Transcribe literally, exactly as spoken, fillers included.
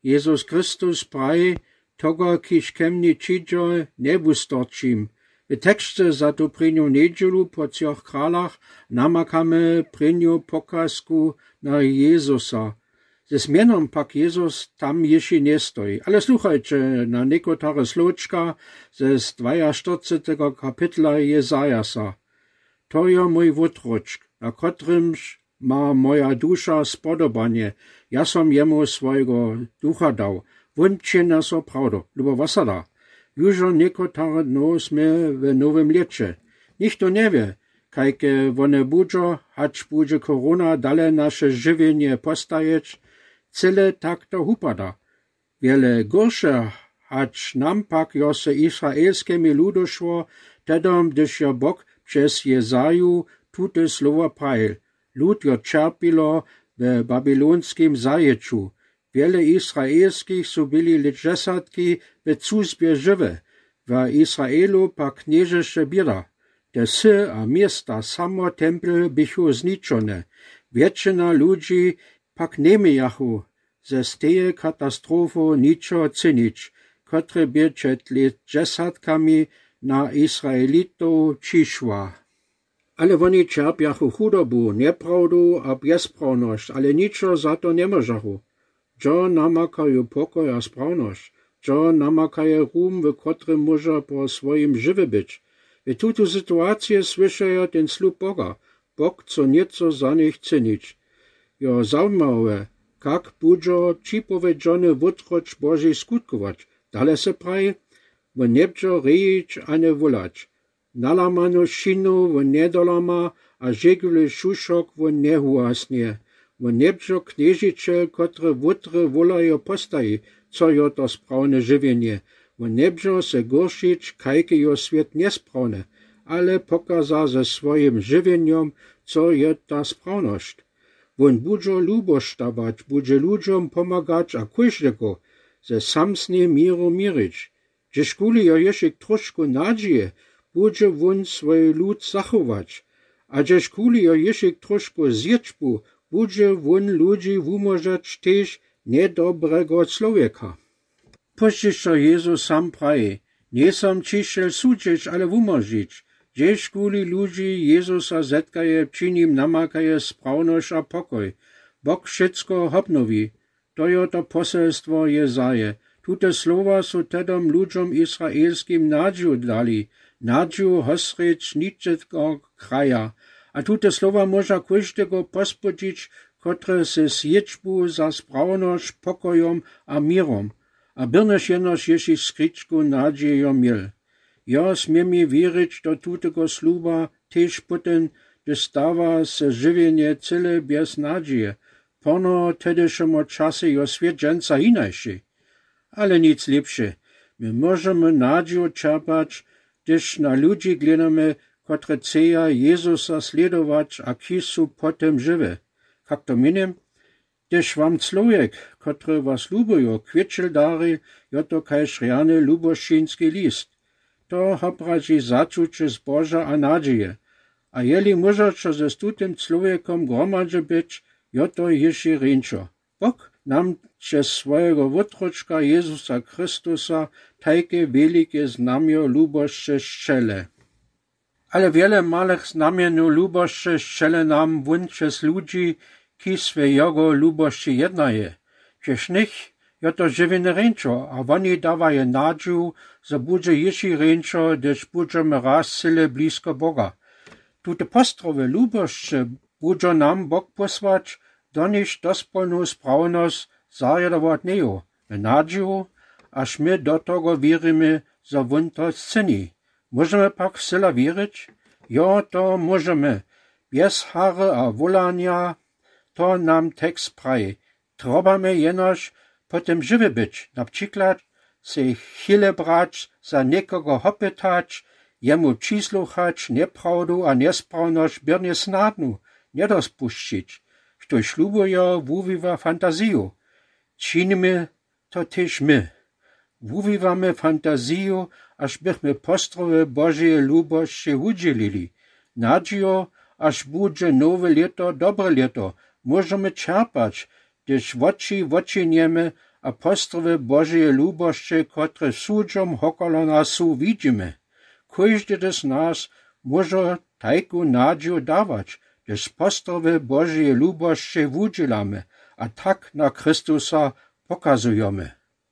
Jezus Christus praji: „Toho, kiž ke mni přińdźe, njewustorčim.“ W teksće za tu prěnju njedźelu po třoch kralach namakamy prěnju pokazku na Jezusa. Ze mjenom pak Jezus tam jěši njestoji. Ale sluchajće na někotare slowčka z dwajaštyrceteho kapitla Jezajasa. „To je mój wótročk, na kotrymž ma moja duša spodobanje. Ja som jemu swojego ducha dał. Wón činja so prawdu.“ Lubo wosada. Južo někotare dno smy w nowym lěće. Nichto njewě, kajke wone budźo, hač budźe korona dale naše žiwjenje postajeć. Cyle tak to wupada. Wjele gorše, hač nam pak jo se izraelskemi ludu šło, tedom, hdyž jo Bóg přez Jezaju tute słowa prajil. Lud jo ćerpilo we babylonskim zajěću. Wjele izraelskich su byli le dźesatki we cuzbje žiwe. W Izraelu pak knježeše běda. Te wsy a města, samo tempel běchu zničone. Wjetšina ludźi pak njemějachu ze steje katastrofy ničo cynić, kotre bě před le dźesatkami na Izraelitow přišła. Ale woni ćerpjachu chudobu, njeprawdu a bjezprawnosć, ale ničo za to njemóžachu. Dźo namakaju pokoj a sprawnosć. Dźo namakaje rum, w kotrym móža po swojim žiwy być. W tutu situacije słyšaja ten slub Boga: „Bóg, co njeco za nich czynić.“ Jo zajimałe, kak budźo připowědźony wótročk Boži skutkować. Dale se praji: „Wón njebudźo rejić a njewólać. Nalamanu šinu wón njedolama a žegły šušok wón njehuhasnje. Wón njebudźo knježićel, kotry wótry wólajo postaji, co jo to sprawne žiwjenje. Wón njebudźo se goršić, kajke jo swět njesprawny, ale pokaza ze swojim žiwjenjom, co je ta sprawnosć. Wón budźo lubosć dawać, budźe ludźom pomagać a kóždego ze samsnym měru měrić. Dźežkuli jo jěšik trošku nadźije, budźe wón swój lud zachować. A dźežkuli jo jěšik trošku zječbu, budźe wón ludźi wumóžeć tež njedobrego čłowjeka.“ Późdźišo Jezus sam praji: „Njejsom přišel sudźić, ale wumóžić.“ Dźežkuli ludźi Jezusa zetkaje, při nim namakaje sprawnosć a pokoj. Bóg wšecko hobnowi. To jo to poselstwo Jezaje. Tute słowa su tedom ludźom izraelskim nadźiju dali, nadźiju hosreć ničetko kraja. A tute słowa móža kóždego pozbudźić, kotry se zječbu za sprawnosć pokojom a měrom, a byrnyž jenož jěšik skričku nadźije jo měl. Jo směmi wěrić do tutego sluba tež pótem, hdyž stawa se žiwjenje cyle bjez nadźije. Póno tedyšemu času jo swět dźensa jinajši. Ale nic lěpše. My móžemy nadźiju čerpać, hdyž na ludźi hledamy, kotry chceja Jezusa slědować a kiž su pótem žiwi. Kak to měnim? Hdyž wam čłowjek, kotry was lubujo, kwětšel dari, jo to kaž rjany lubosćinski list. To hobraži začuće zboža a nadźije. A jeli móžeće z tutym čłowjekom hromadźe być, jo to jěši rjeńšo. Bóg nam přez swojeho wótročka Jezusa Chrystusa tajke wielike znamjo lubosće sćele. Ale wiele malych znamjenjow lubosće sćele nam wón přez ludźi, kiž we jogo lubosći jednaje. Přez nich jo to žiwjenje rjeńšo a woni dawaje nadźiju, zo budźe jěši rjeńšo, hdyž budźemy raz cyle blisko Boga. Tute postrowy lubosće budźo nam Bóg pósłać, do nichž dospólnu sprawnosć zarjadować njejo, w nadźiju, až my do toho wěrimy, zo wón to scyni. Móžemy pak wcyla wěrić? Jo, to móžemy. Bjez hary a wólanja, to nam tekst praji. Trobamy jenož pótem žiwi być, na přiklad se chwile brać, za někogo hopytać, jemu přisłuchać, njeprawdu a njesprawnosć byrnje snadnu, njedospušćić. Chtož lubujo, wuwiwa fantaziju. Činimy to tež my. Wuwiwamy fantaziju, až bychmy postrowy Božeje lubosće wudźělili. Nadźijo, až budźe nowe lěto dobre lěto, móžemy čerpać, hdyž woči wočinjemy a postrowy Božeje lubosće, kotreż sudźom hokolo nas su, widźimy. Kóżdy z nas mòże tajku nadziju dawać, gdyż postrowy Božeje lubosće wudźělamy a tak na Chrystusa pokazujemy.